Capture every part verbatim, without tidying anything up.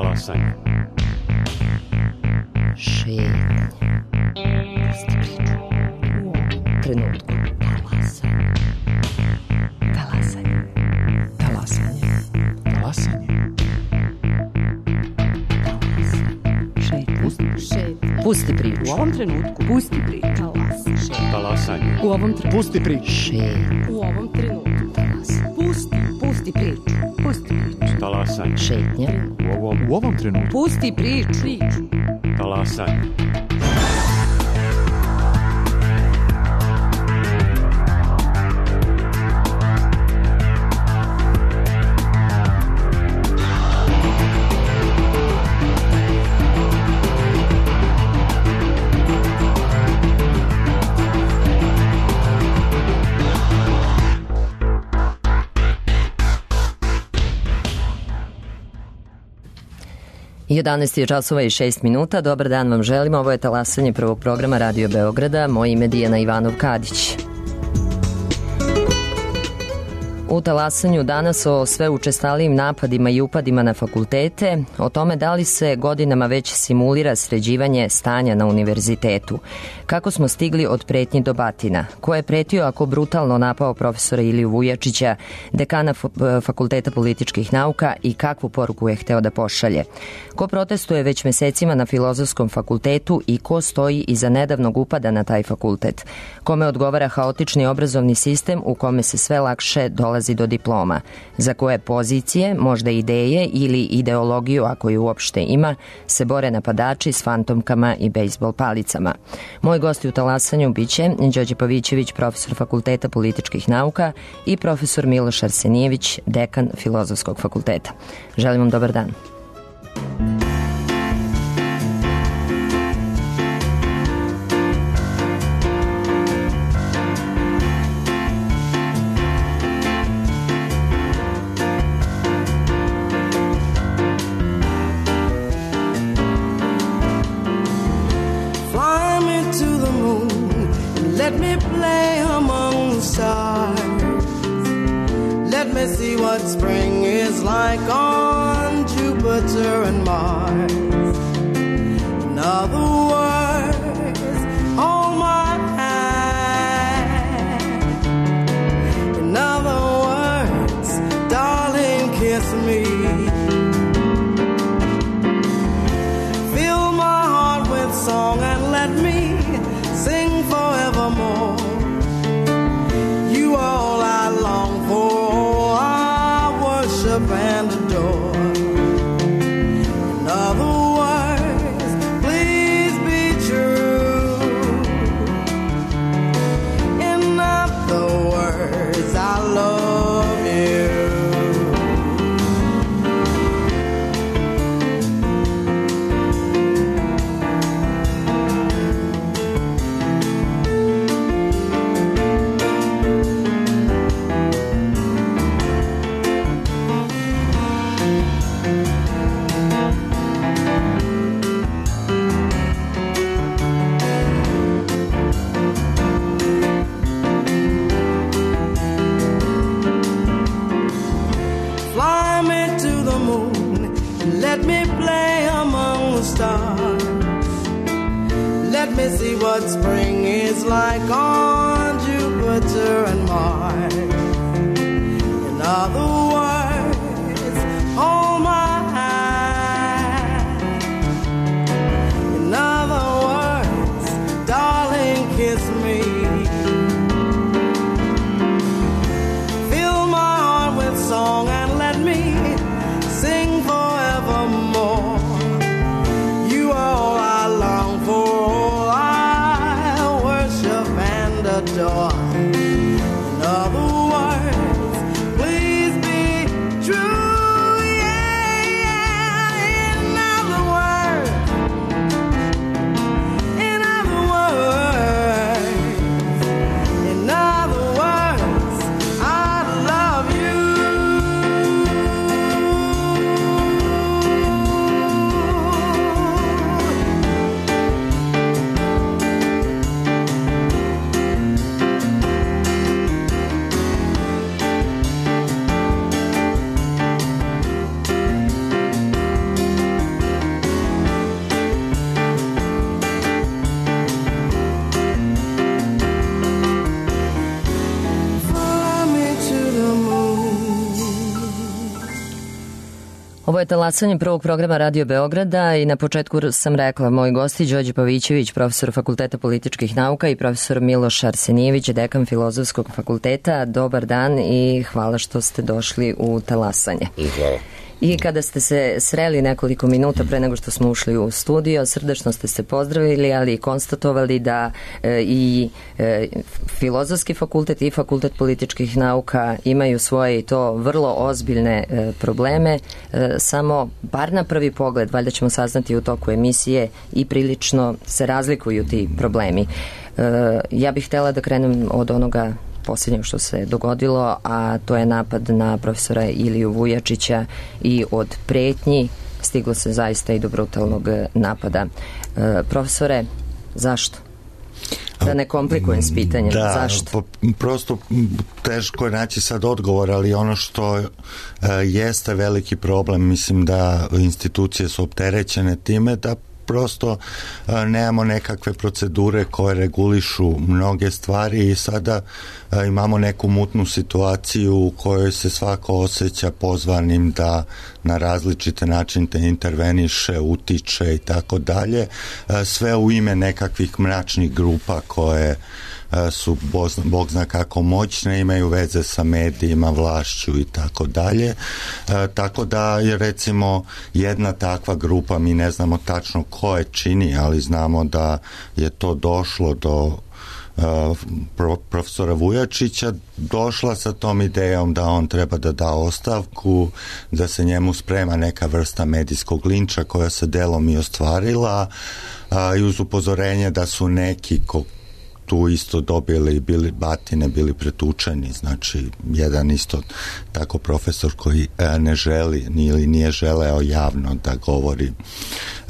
Talasanje. Šetnje. Pusti priču. U ovom trenutku. Talasanje. Talasanje. Talasanje. Talasanje. Šetnje. Pusti priču. U ovom trenutku. Pusti priču. Talasanje. U ovom trenutku. Pusti priču. Šetnje. U ovom trenutku. Talasanje. Pusti. Pusti priču. Pusti priču. Talasanje. Šetnje. U ovom, U ovom trenutku. Pusti priču. Priču. talasanje. jedanaest je časova i šest minuta. Dobar dan vam želimo. Ovo je talasanje prvog programa Radio Beograda. Moje ime je Dijana Ivanov-Kadić. U talasanju danas o sve učestalijim napadima i upadima na fakultete, o tome da li se godinama već simulira sređivanje stanja na univerzitetu, kako smo stigli od pretnji do batina, ko je pretio ako brutalno napao profesora Iliju Vujačića, dekana Fakulteta političkih nauka, i kakvu poruku je hteo da pošalje, ko protestuje već mesecima na Filozofskom fakultetu i ko stoji iza nedavnog upada na taj fakultet, kome odgovara haotični obrazovni sistem u kome se sve lakše dolazi do diploma, za koje pozicije, možda ideje ili ideologiju, ako je uopšte ima, se bore napadači s fantomkama i bejsbol palicama. Moj gosti u talasanju biće Đorđe Pavićević, profesor Fakulteta političkih nauka, i profesor Miloš Arsenijević, dekan Filozofskog fakulteta. Želim vam dobar dan. Let me play among the stars. Let me see what spring is like on Jupiter and Mars. In other words, hold my hand. In other words, darling, kiss me. Fill my heart with song and let me sing forevermore. You are all I long for, I worship and adore. In other words, please be true. In other words, I love you. Let me play among the stars. Let me see what spring is like on Jupiter and Mars. In other words, hold my hand. In other words, darling, kiss me. Fill my heart with song and let me sing forevermore. You are all I long for, all I worship and adore. Ovo je talasanje prvog programa Radio Beograda i na početku sam rekla, moji gosti Đorđe Pavićević, profesor Fakulteta političkih nauka i profesor Miloš Arsenijević, dekan Filozofskog fakulteta. Dobar dan i hvala što ste došli u talasanje. I hvala. I kada ste se sreli nekoliko minuta pre nego što smo ušli u studio, srdačno ste se pozdravili, ali i konstatovali da e, i e, Filozofski fakultet i Fakultet političkih nauka imaju svoje i to vrlo ozbiljne e, probleme, e, samo bar na prvi pogled, valjda ćemo saznati u toku emisije, i prilično se razlikuju ti problemi. E, ja bih htjela da krenem od onoga posljednje što se dogodilo, a to je napad na profesora Iliju Vujačića i od pretnji stiglo se zaista i do brutalnog napada. E, profesore, zašto? Da ne komplikujem s pitanjem. Da, zašto? Prosto teško je naći sad odgovor, ali ono što e, jeste veliki problem, mislim da institucije su opterećene time da prosto a, nemamo nekakve procedure koje regulišu mnoge stvari i sada a, imamo neku mutnu situaciju u kojoj se svako osjeća pozvanim da na različite načine interveniše, utiče i tako dalje, sve u ime nekakvih mračnih grupa koje su bog zna kako moćne, imaju veze sa medijima, vlašću i tako dalje. Tako da je recimo jedna takva grupa, mi ne znamo tačno ko je čini, ali znamo da je to došlo do Pro, profesora Vujačića, došla sa tom idejom da on treba da da ostavku, da se njemu sprema neka vrsta medijskog linča koja se delom i ostvarila, a, i uz upozorenje da su neki ko tu isto dobili, bili batine, bili pretučeni, znači jedan isto tako profesor koji e, ne želi ili nije želeo javno da govori e,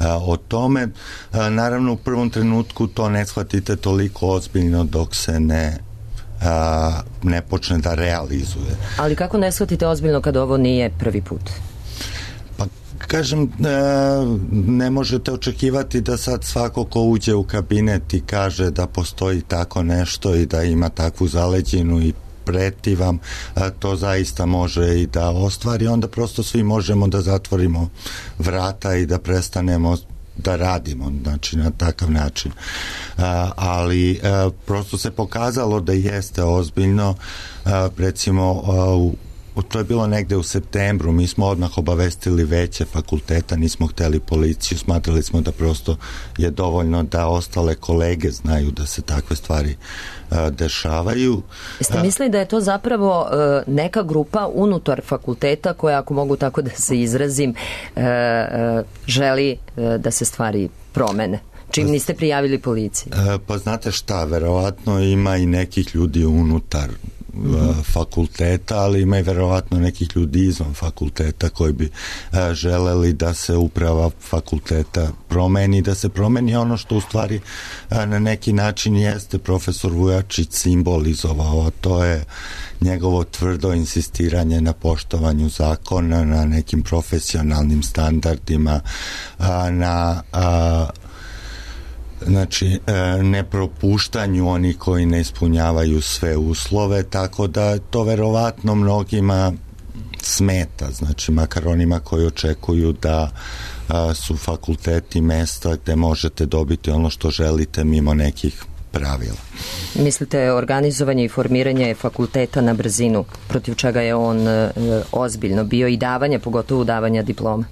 o tome. E, naravno u prvom trenutku to ne shvatite toliko ozbiljno dok se ne a, ne počne da realizuje. Ali kako ne shvatite ozbiljno kad ovo nije prvi put? Kažem, ne možete očekivati da sad svako ko uđe u kabinet i kaže da postoji tako nešto i da ima takvu zaleđinu i preti vam, to zaista može i da ostvari, onda prosto svi možemo da zatvorimo vrata i da prestanemo da radimo, znači na takav način. Ali prosto se pokazalo da jeste ozbiljno, recimo u to je bilo negde u septembru, mi smo odmah obavestili veće fakulteta, nismo hteli policiju, smatrali smo da prosto je dovoljno da ostale kolege znaju da se takve stvari a, dešavaju. Jeste mislili da je to zapravo a, neka grupa unutar fakulteta koja, ako mogu tako da se izrazim, a, a, želi a, da se stvari promene? Čim niste prijavili policiji? A, pa znate šta, verovatno ima i nekih ljudi unutar Mm-hmm. fakulteta, ali ima i verovatno nekih ljudi izvan fakulteta koji bi a, želeli da se uprava fakulteta promeni, da se promeni ono što u stvari a, na neki način jeste profesor Vujačić simbolizovao, a to je njegovo tvrdo insistiranje na poštovanju zakona, na nekim profesionalnim standardima, a, na a, znači nepropuštanju onih koji ne ispunjavaju sve uslove, tako da to verovatno mnogima smeta, znači makar onima koji očekuju da a, su fakulteti mesta gde možete dobiti ono što želite mimo nekih pravila. Mislite organizovanje i formiranje fakulteta na brzinu, protiv čega je on e, ozbiljno bio i davanje, pogotovo davanja diploma?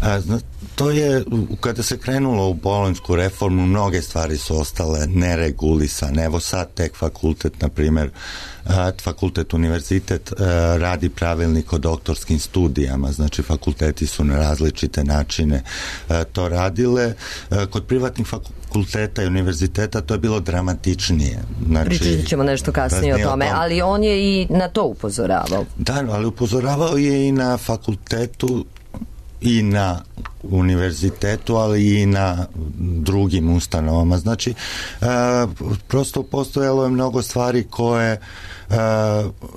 A, zna, to je, kada se krenulo u bolonjsku reformu, mnoge stvari su ostale neregulisane. Evo sad tek fakultet, na primjer, a, fakultet, univerzitet a, radi pravilnik o doktorskim studijama, znači fakulteti su na različite načine a, to radile. A, kod privatnih fakulteta i univerziteta to je bilo dramatičnije. Znači, pričat ćemo nešto kasnije o tome, o tom. Ali on je i na to upozoravao. Da, ali upozoravao je i na fakultetu i na univerzitetu, ali i na drugim ustanovama. Znači, e, prosto postojalo je mnogo stvari koje e,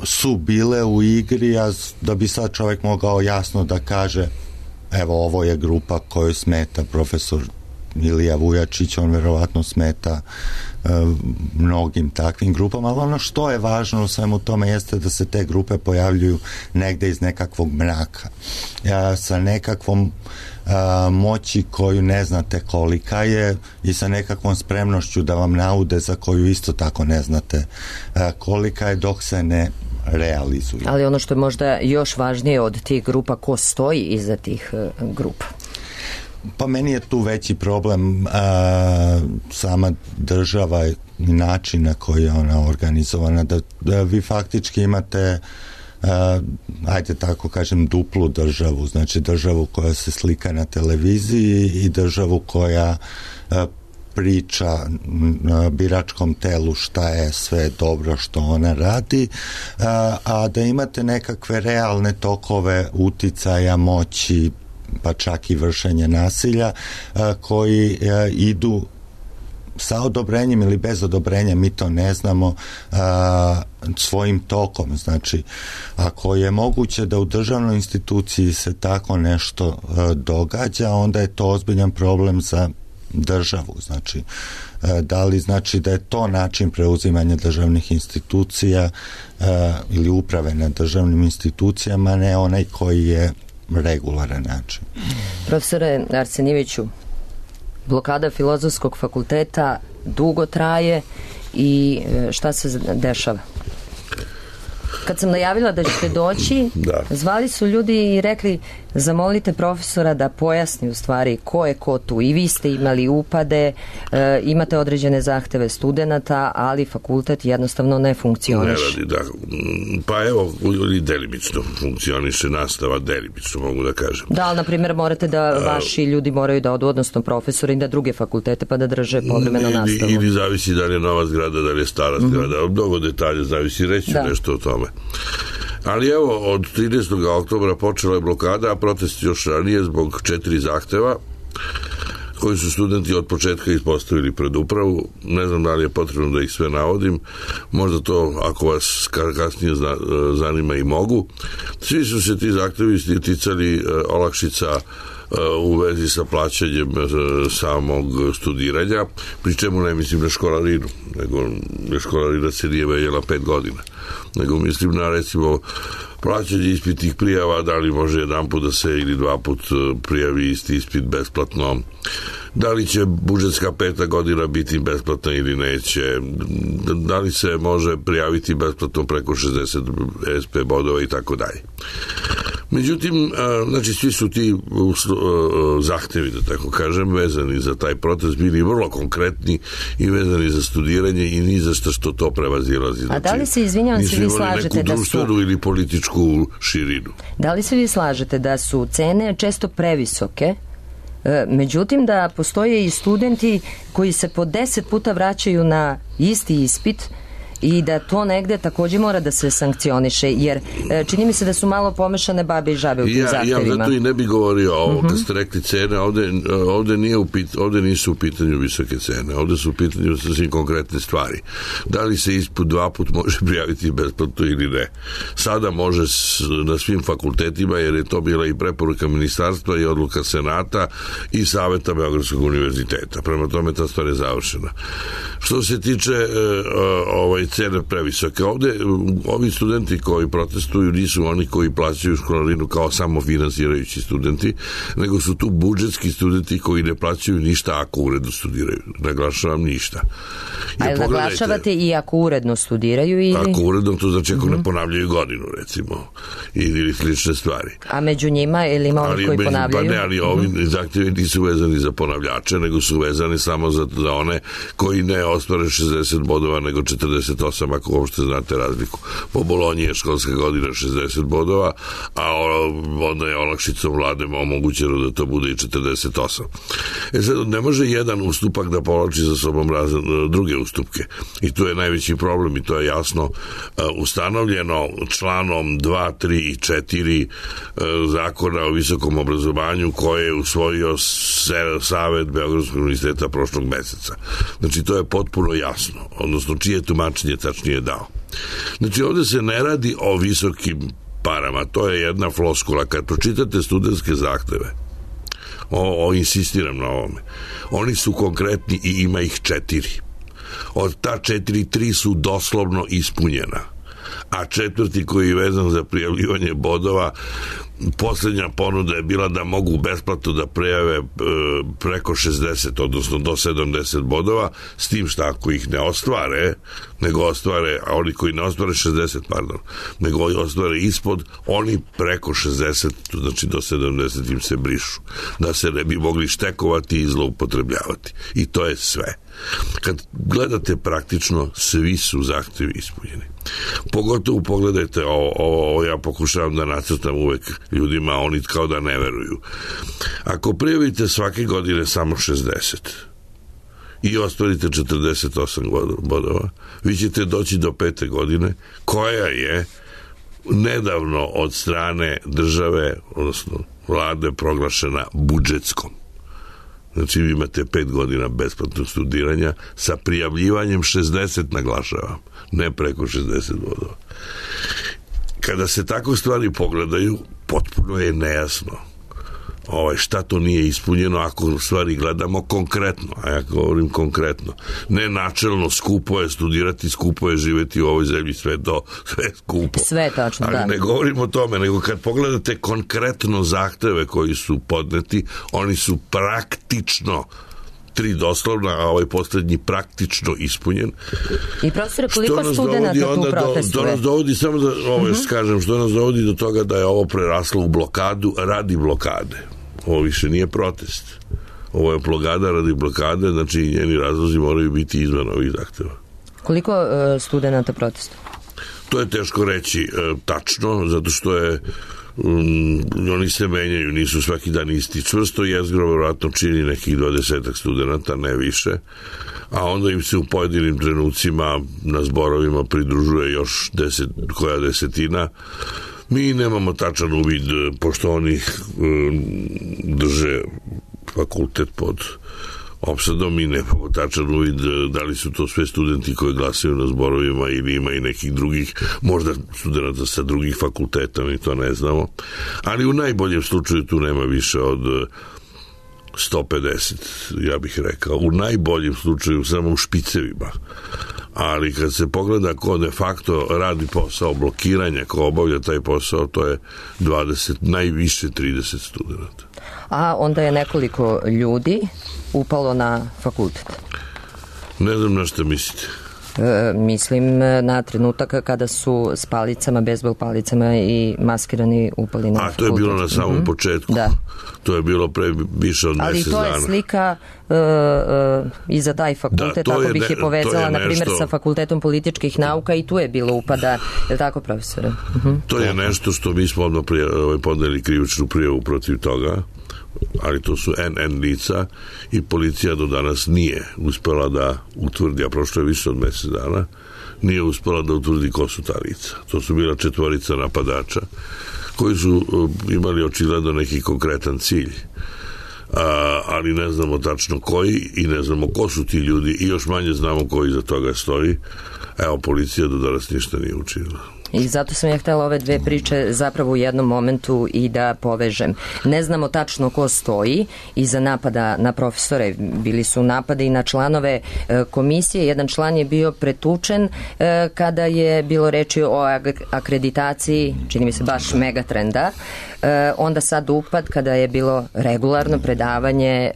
su bile u igri, a da bi sad čovjek mogao jasno da kaže evo ovo je grupa koju smeta profesor Ilija Vujačić, on verovatno smeta uh, mnogim takvim grupama, ali ono što je važno u svemu tome jeste da se te grupe pojavljuju negde iz nekakvog mraka, uh, sa nekakvom uh, moći koju ne znate kolika je i sa nekakvom spremnošću da vam naude za koju isto tako ne znate uh, kolika je, dok se ne realizuju. Ali ono što je možda još važnije od tih grupa, ko stoji iza tih uh, grupa? Pa meni je tu veći problem a, sama država i način na koji je ona organizovana, da, da vi faktički imate a, ajde tako kažem duplu državu, znači državu koja se slika na televiziji i državu koja a, priča na biračkom telu šta je sve dobro što ona radi, a, a da imate nekakve realne tokove uticaja, moći, pa čak i vršenje nasilja, a, koji a, idu sa odobrenjem ili bez odobrenja, mi to ne znamo, a, svojim tokom. Znači, ako je moguće da u državnoj instituciji se tako nešto a, događa, onda je to ozbiljan problem za državu. Znači, a, da li znači da je to način preuzimanja državnih institucija a, ili uprave nad državnim institucijama, ne onaj koji je regularan način. Profesore Arsenijeviću, blokada Filozofskog fakulteta dugo traje i šta se dešava? Kad sam najavila da ćete doći, da. Zvali su ljudi i rekli zamolite profesora da pojasni u stvari ko je ko tu. I vi ste imali upade, e, imate određene zahteve studenata, ali fakultet jednostavno ne funkcioniše. Ne radi, da. Pa evo, i delimično funkcioniše nastava, delimično mogu da kažem. Da, ali na primjer morate da vaši ljudi moraju da odu, odnosno profesori, da druge fakultete pa da drže povremeno nastavu. Ili zavisi da li je nova zgrada, da li je stara zgrada. Mm-hmm. Mnogo detalja zavisi, reći da. nešto o tome. Ali evo, od trinaestog oktobra počela je blokada, a protest još ranije zbog četiri zahteva koji su studenti od početka ispostavili pred upravu. Ne znam da li je potrebno da ih sve navodim, možda to ako vas kasnije zanima i mogu. Svi su se ti zahtevi ticali olakšica u vezi sa plaćanjem samog studiranja, pri čemu ne mislim na školarinu, nego školarina se nije menjala pet godina, nego mislim na recimo plaćanje ispitnih prijava, da li može jedan put da se ili dva put prijavi isti ispit besplatno, da li će budžetska peta godina biti besplatna ili neće, da li se može prijaviti besplatno preko šezdeset es pe bodova i tako dalje. Međutim, znači svi su ti zahtevi, da tako kažem, vezani za taj protest bili vrlo konkretni i vezani za studiranje i ni za što to prevazilazi. A da li se, izvinjavam se, vi slažete da su ili političku širinu? Da li se vi slažete da su cene često previsoke, međutim da postoje i studenti koji se po deset puta vraćaju na isti ispit i da to negde također mora da se sankcioniše, jer čini mi se da su malo pomešane babe i žabe u tim ja, zahtevima. Ja zato i ne bi govorio ovo, uh-huh. kad ste rekli cene, ovde, ovde, nije u pit, ovde nisu u pitanju visoke cene, ovde su u pitanju sasvim konkretne stvari. Da li se ispod dva put može prijaviti besplatno ili ne. Sada može na svim fakultetima, jer je to bila i preporuka ministarstva i odluka senata i saveta Beogradskog univerziteta. Prema tome ta stvar je završena. Što se tiče uh, ovaj cene previsoke. Ovde ovi studenti koji protestuju nisu oni koji plaćaju školarinu kao samo finansirajući studenti, nego su tu budžetski studenti koji ne plaćaju ništa ako uredno studiraju. Naglašavam ništa. Ali naglašavate i ako uredno studiraju ili... Ako uredno, to znači ako uh-huh. ne ponavljaju godinu, recimo, ili slične stvari. A među njima ili ima oni koji među, ponavljaju? Pa ne, ali ovi uh-huh. zahtjevi nisu vezani za ponavljače, nego su vezani samo za, za one koji ne ostvare šezdeset bodova, nego četrdeset osam, ako uopšte znate razliku. Po Bolonji je školska godina šezdeset bodova, a onda je olakšicom vlade omogućeno da to bude i četrdeset osam. E sad, ne može jedan ustupak da povlači za sobom razne, druge ustupke. I to je najveći problem i to je jasno uh, ustanovljeno članom dva, tri i četiri uh, zakona o visokom obrazovanju koje je usvojio Savet Beogradskog univerziteta prošlog meseca. Znači, to je potpuno jasno. Odnosno, čije tumačenje tačnije dao. Znači, ovde se ne radi o visokim parama. To je jedna floskula. Kad pročitate studentske zahteve, o, o insistiram na ovome. Oni su konkretni i ima ih četiri. Od ta četiri, tri su doslovno ispunjena. A četvrti koji je vezan za prijavljivanje bodova, posljednja ponuda je bila da mogu besplatno da prijave e, preko šezdeset, odnosno do sedamdeset bodova, s tim što ako ih ne ostvare, nego ostvare, a oni koji ne ostvare šezdeset, pardon, nego ostvare ispod, oni preko šezdeset, znači do sedamdeset im se brišu, da se ne bi mogli štekovati i zloupotrebljavati. I to je sve. Kad gledate praktično, svi su zahtevi ispunjeni. Pogotovo pogledajte ovo, ovo, ovo ja pokušavam da nacrtam uvek ljudima, oni kao da ne veruju. Ako prijavite svake godine samo šezdeset i ostvarite četrdeset osam bodova, vi ćete doći do pete godine, koja je nedavno od strane države, odnosno vlade, proglašena budžetskom. Znači vi imate pet godina besplatnog studiranja sa prijavljivanjem šezdeset, naglašavam, ne preko šezdeset bodova. Kada se tako stvari pogledaju, potpuno je nejasno ovaj, šta to nije ispunjeno ako stvari gledamo konkretno, a ja govorim konkretno. Ne načelno, skupo je studirati, skupo je živjeti u ovoj zemlji, sve to, sve je skupo. Sve je tačno, ali da. Ne govorimo o tome, nego kad pogledate konkretno zahteve koji su podneti, oni su praktično tri doslovna, a ovaj posljednji praktično ispunjen. I profesore, koliko studenata tu protestuje? To nas dovodi, samo da ovo uh-huh. kažem, što nas dovodi do toga da je ovo preraslo u blokadu radi blokade. Ovo više nije protest. Ovo je blokada radi blokade, znači njeni razlozi moraju biti izvan ovih zahteva. Koliko uh, studenata protestuje? To je teško reći uh, tačno, zato što je Um, oni se menjaju, nisu svaki dan isti. Čvrsto jezgro vjerojatno čini nekih dvadesetak studenata, ne više, a onda im se u pojedinim trenucima na zborovima pridružuje još deset, koja desetina. Mi nemamo tačan uvid, pošto oni um, drže fakultet pod opsadom i nemamo tačan uvid da li su to sve studenti koji glasaju na zborovima ili ima i nekih drugih, možda studenta sa drugih fakulteta, mi to ne znamo, ali u najboljem slučaju tu nema više od sto pedeset, ja bih rekao, u najboljem slučaju samo u špicevima, ali kad se pogleda ko de facto radi posao blokiranja, ko obavlja taj posao, to je dvadeset, najviše trideset studenta. A onda je nekoliko ljudi upalo na fakultet. Ne znam na što mislite. E, mislim na trenutak kada su s palicama, bejzbol palicama i maskirani upali na A, fakultet. to je bilo na samom mm-hmm. početku. Da. To je bilo pre više od ali mjesec dana. Ali to je slika uh, uh, i za taj fakultet, da, tako je bih ne, je povezala, je na primjer, sa Fakultetom političkih nauka i tu je bilo upada, je li tako, profesore? Uh-huh. To je nešto što mi smo odmah podneli krivičnu prijavu protiv toga, ali to su en en lica i policija do danas nije uspela da utvrdi, a prošlo je više od mjesec dana, nije uspela da utvrdi ko su ta lica. To su bila četvorica napadača koji su imali očigledno neki konkretan cilj, a, ali ne znamo tačno koji i ne znamo ko su ti ljudi i još manje znamo ko iza toga stoji. Evo, policija do danas ništa nije učinila. I zato sam ja htjela ove dve priče zapravo u jednom momentu i da povežem. Ne znamo tačno ko stoji iza napada na profesore. Bili su napade i na članove e, komisije. Jedan član je bio pretučen e, kada je bilo reči o akreditaciji, čini mi se baš Megatrenda. E, onda sad upad kada je bilo regularno predavanje, e,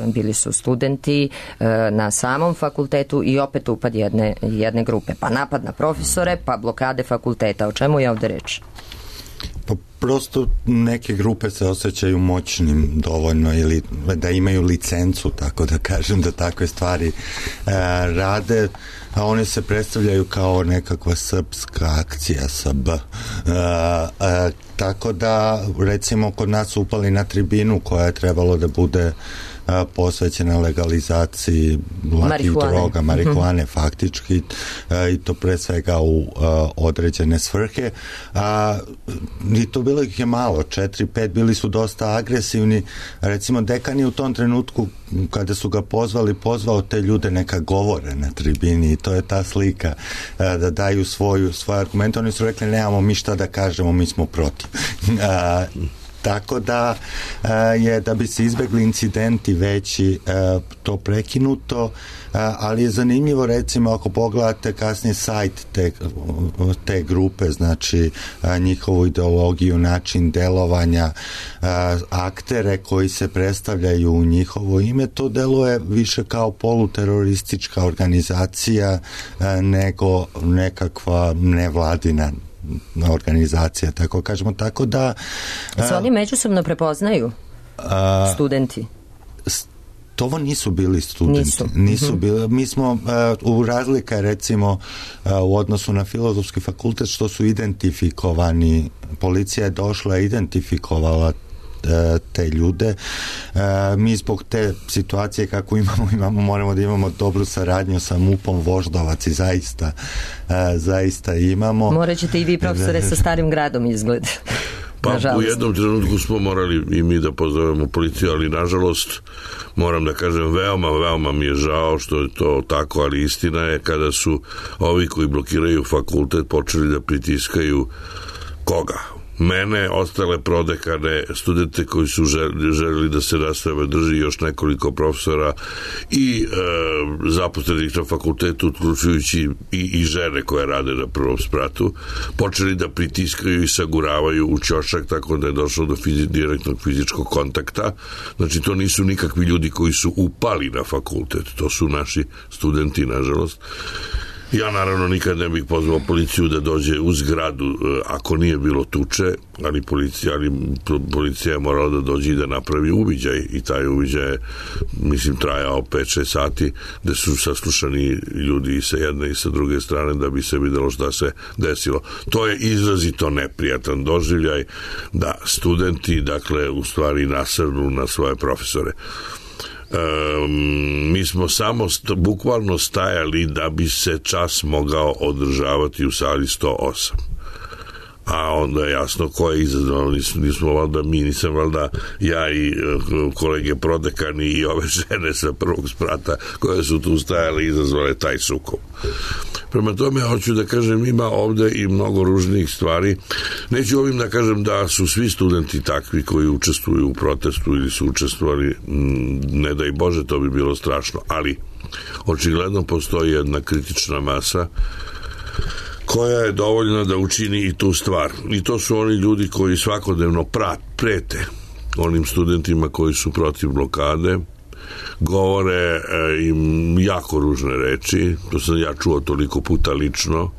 bili su studenti e, na samom fakultetu i opet upad jedne, jedne grupe. Pa napad na profesore, pa blokade fakulteta. O čemu je ovdje reč? Pa prosto neke grupe se osjećaju moćnim dovoljno ili da imaju licencu, tako da kažem, da takve stvari e, rade, a one se predstavljaju kao nekakva srpska akcija sa B. E, e, tako da, recimo, kod nas upali na tribinu koja je trebalo da bude a, posvećena legalizaciji lakih droga, marihuane, mm-hmm. faktički, a, i to pre svega u a, određene svrhe. A, i to bilo ih je malo, četiri, pet, bili su dosta agresivni. Recimo, dekan je u tom trenutku, kada su ga pozvali, pozvao te ljude neka govore na tribini i to je ta slika, a, da daju svoju, svoje argumente. Oni su rekli, nemamo mi šta da kažemo, mi smo protiv. A, Tako da je, da bi se izbegli incidenti veći, to prekinuto, ali je zanimljivo, recimo, ako pogledate kasnije sajt te, te grupe, znači njihovu ideologiju, način delovanja, aktere koji se predstavljaju u njihovo ime, to deluje više kao poluteroristička organizacija nego nekakva nevladina organizacija, tako kažemo, tako da... Se oni međusobno prepoznaju, studenti? To ovo nisu bili studenti. Nisu. Nisu bili. Mi smo uh, u razlika, recimo, uh, u odnosu na filozofski fakultet, što su identifikovani. Policija je došla i identifikovala te ljude. Mi zbog te situacije kako imamo, imamo moramo da imamo dobru saradnju sa MUP-om Voždovac i zaista zaista imamo. Morat ćete i vi, profesore, sa Starim gradom izgled. Pa nažalost. U jednom trenutku smo morali i mi da pozovemo policiju, ali nažalost moram da kažem veoma, veoma mi je žao što je to tako, ali istina je kada su ovi koji blokiraju fakultet počeli da pritiskaju koga? Mene, ostale prodekane, studente koji su želeli da se nastave, drži još nekoliko profesora i e, zaposlenih na fakultetu, uključujući i, i žene koje rade na prvom spratu, počeli da pritiskaju i saguravaju u ćošak, tako da je došlo do fizi, direktnog fizičkog kontakta. Znači, to nisu nikakvi ljudi koji su upali na fakultet, to su naši studenti, nažalost. Ja naravno nikad ne bih pozvao policiju da dođe u zgradu ako nije bilo tuče, ali policija, ali policija je morala da dođe i da napravi uviđaj i taj uviđaj je, mislim, trajao pet šest sati, gde su saslušani ljudi i sa jedne i sa druge strane da bi se videlo šta se desilo. To je izrazito neprijatan doživljaj da studenti, dakle, u stvari nasrnu na svoje profesore. Um, mi smo samo st- bukvalno stajali da bi se čas mogao održavati u sali sto osam. A onda je jasno ko je izazvao, nismo, nismo valjda mi, nisam valjda ja i uh, kolege prodekani i ove žene sa prvog sprata koje su tu stajale i izazvale taj sukob. Prema tome, hoću da kažem, ima ovde i mnogo ružnijih stvari. Neću ovim da kažem da su svi studenti takvi koji učestvuju u protestu ili su učestvovali, ne daj Bože, to bi bilo strašno, ali očigledno postoji jedna kritična masa koja je dovoljna da učini i tu stvar. I to su oni ljudi koji svakodnevno prat, prete onim studentima koji su protiv blokade, govore e, im jako ružne reči, to sam ja čuo toliko puta lično.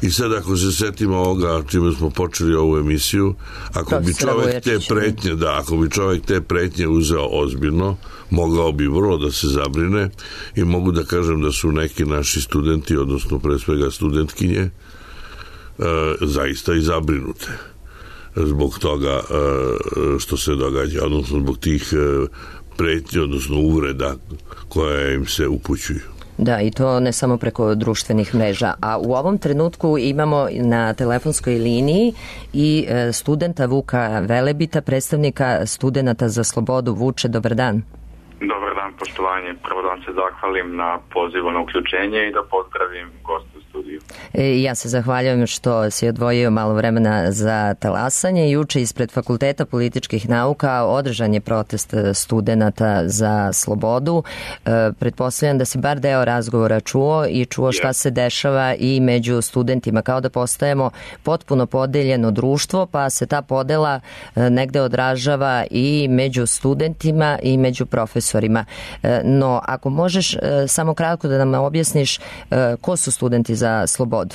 I sad ako se setimo ovoga čime smo počeli ovu emisiju, ako bi čovjek te pretnje, da, ako bi čovjek te pretnje uzeo ozbiljno, mogao bi vrlo da se zabrine i mogu da kažem da su neki naši studenti, odnosno pre svega studentkinje, e, zaista i zabrinute zbog toga e, što se događa, odnosno zbog tih e, pretnje, odnosno uvreda koje im se upućuju. Da, i to ne samo preko društvenih mreža. A u ovom trenutku imamo na telefonskoj liniji i studenta Vuka Velebita, predstavnika Studenata za slobodu. Vuče, dobar dan. Dobar dan, poštovanje. Prvo da vam se zahvalim na pozivu na uključenje i da pozdravim gostu u studiju. E, ja se zahvaljujem što si odvojio malo vremena za talasanje. Juče ispred Fakulteta političkih nauka održan je protest studenata za slobodu. E, pretpostavljam da si bar deo razgovora čuo i čuo šta se dešava i među studentima. Kao da postajemo potpuno podeljeno društvo, pa se ta podela e, negde odražava i među studentima i među profesorima. E, no, ako možeš e, samo kratko da nam objasniš e, ko su studenti za slobodu?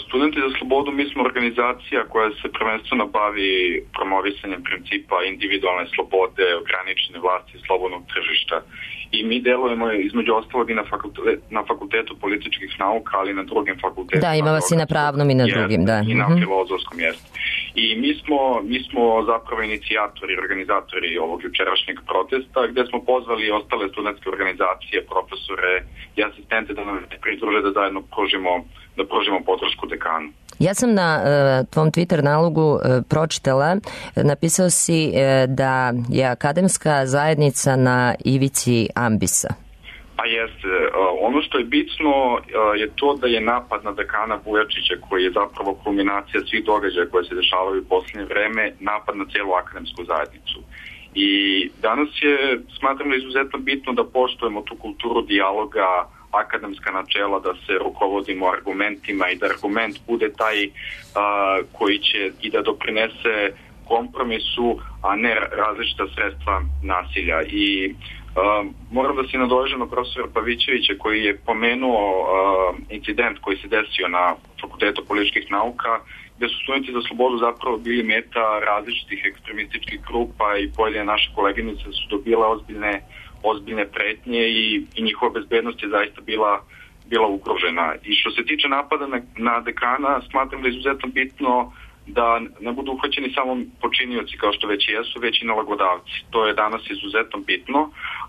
Studenti za slobodu, mi smo organizacija koja se prvenstveno bavi promovisanjem principa individualne slobode, ograničene vlasti i slobodnog tržišta. I mi delujemo između ostalog i na fakultetu, na fakultetu političkih nauka, ali i na drugim fakultetima. Da, ima vas i na pravnom i na drugim, da. I na filozofskom jeste. I mi smo, mi smo zapravo inicijatori, organizatori ovog jučerašnjeg protesta, gde smo pozvali ostale studentske organizacije, profesore i asistente da nam pridruže da zajedno pružimo, da pružimo podršku dekanu. Ja sam na uh, tvom Twitter nalogu uh, pročitala, napisao si uh, da je akademska zajednica na ivici ambisa. Pa jeste, ono što je bitno uh, je to da je napad na dekana Vujačića, koji je zapravo kulminacija svih događaja koje se dešavaju u posljednje vreme, napad na cijelu akademsku zajednicu. I danas je, smatram da je izuzetno bitno da poštujemo tu kulturu dijaloga, akademska načela, da se rukovodimo argumentima i da argument bude taj uh, koji će i da doprinese kompromisu, a ne različita sredstva nasilja. I uh, moram da se nadovežem na profesora Pavićevića koji je pomenuo uh, incident koji se desio na Fakultetu političkih nauka, gde su studenti za slobodu zapravo bili meta različitih ekstremističkih grupa i pojedine naše koleginice su dobile ozbiljne ozbiljne pretnje i, i njihova bezbednost je zaista bila, bila ugrožena. I što se tiče napada na, na dekana, smatram da je izuzetno bitno da ne budu uhvaćeni samo počinioci kao što već jesu, već i nalagodavci. To je danas izuzetno bitno.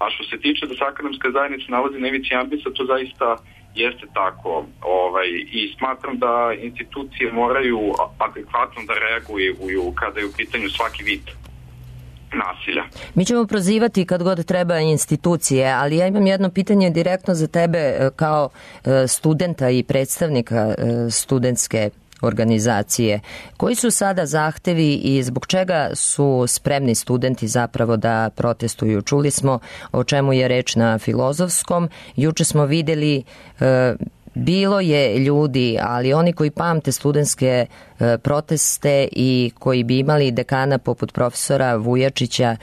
A što se tiče da se akademska zajednica nalazi na ivici ambisa, to zaista jeste tako. Ovaj, I smatram da institucije moraju adekvatno da reaguju kada je u pitanju svaki vid nasilja. Mi ćemo prozivati kad god treba institucije, ali ja imam jedno pitanje direktno za tebe kao studenta i predstavnika studentske organizacije. Koji su sada zahtevi i zbog čega su spremni studenti zapravo da protestuju? Čuli smo o čemu je reč na Filozofskom. Juče smo videli bilo je ljudi, ali oni koji pamte studentske e, proteste i koji bi imali dekana poput profesora Vujačića, e,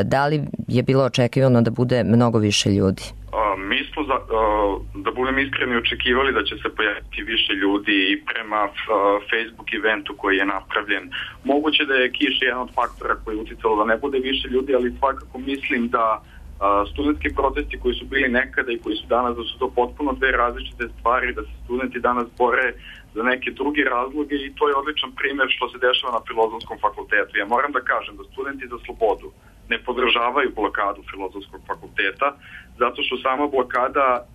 da li je bilo očekivano da bude mnogo više ljudi? A, mi smo, za, a, da budem iskreni, očekivali da će se pojaviti više ljudi i prema a, Facebook eventu koji je napravljen. Moguće da je kiša jedan od faktora koji je uticalo da ne bude više ljudi, ali svakako mislim da studentski protesti koji su bili nekada i koji su danas, da su to potpuno dve različite stvari, da se studenti danas bore za neke druge razloge i to je odličan primjer što se dešava na Filozofskom fakultetu. Ja moram da kažem da studenti za slobodu ne podržavaju blokadu Filozofskog fakulteta zato što sama blokada uh,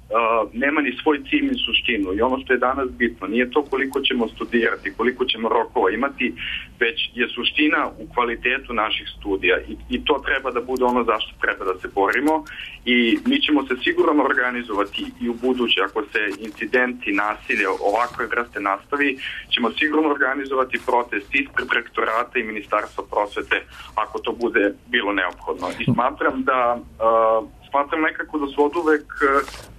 nema ni svoj cilj ni suštinu i ono što je danas bitno nije to koliko ćemo studirati, koliko ćemo rokova imati, već je suština u kvalitetu naših studija i, i to treba da bude ono zašto treba da se borimo i mi ćemo se sigurno organizovati i u buduće ako se incidenti, nasilje ovakve vrste nastavi, ćemo sigurno organizovati protest ispred rektorata i Ministarstva prosvete ako to bude bilo neophodno. I smatram da uh, smatram nekako da su od uvek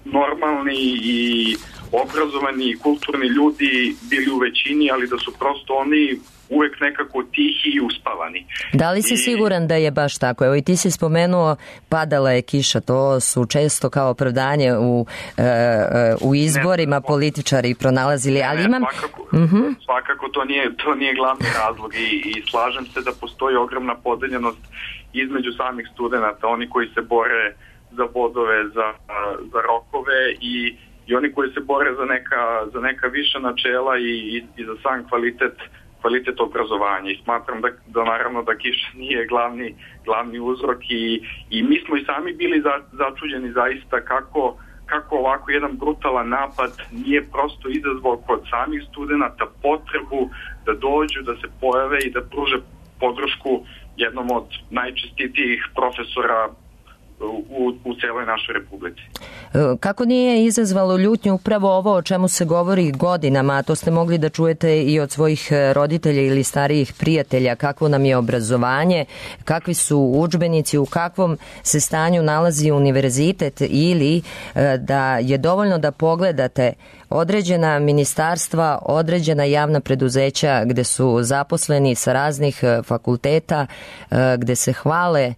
normalni i obrazovani i kulturni ljudi bili u većini, ali da su prosto oni uvek nekako tihi i uspavani. Da li si I... siguran da je baš tako? Evo i ti si spomenuo padala je kiša, to su često kao opravdanje u, e, u izborima ne, političari pronalazili, ali ne, imam... Svakako, uh-huh. svakako to nije, to nije glavni razlog i, i slažem se da postoji ogromna podeljenost između samih studenta, oni koji se bore za bodove, za, za rokove i, i oni koji se bore za neka, za neka viša načela i, i, i za sam kvalitet kvalitet obrazovanja i smatram da, da naravno da kiša nije glavni, glavni uzrok i, i mi smo i sami bili za, začuđeni zaista kako, kako ovako jedan brutalan napad nije prosto izazvao kod samih studenta potrebu da dođu, da se pojave i da pruže podršku jednom od najčestitijih profesora U, u celoj našoj republici. Kako nije izazvalo ljutnju upravo ovo o čemu se govori godinama, a to ste mogli da čujete i od svojih roditelja ili starijih prijatelja, kakvo nam je obrazovanje, kakvi su udžbenici, u kakvom se stanju nalazi univerzitet ili da je dovoljno da pogledate određena ministarstva, određena javna preduzeća gde su zaposleni sa raznih fakulteta, gde se hvale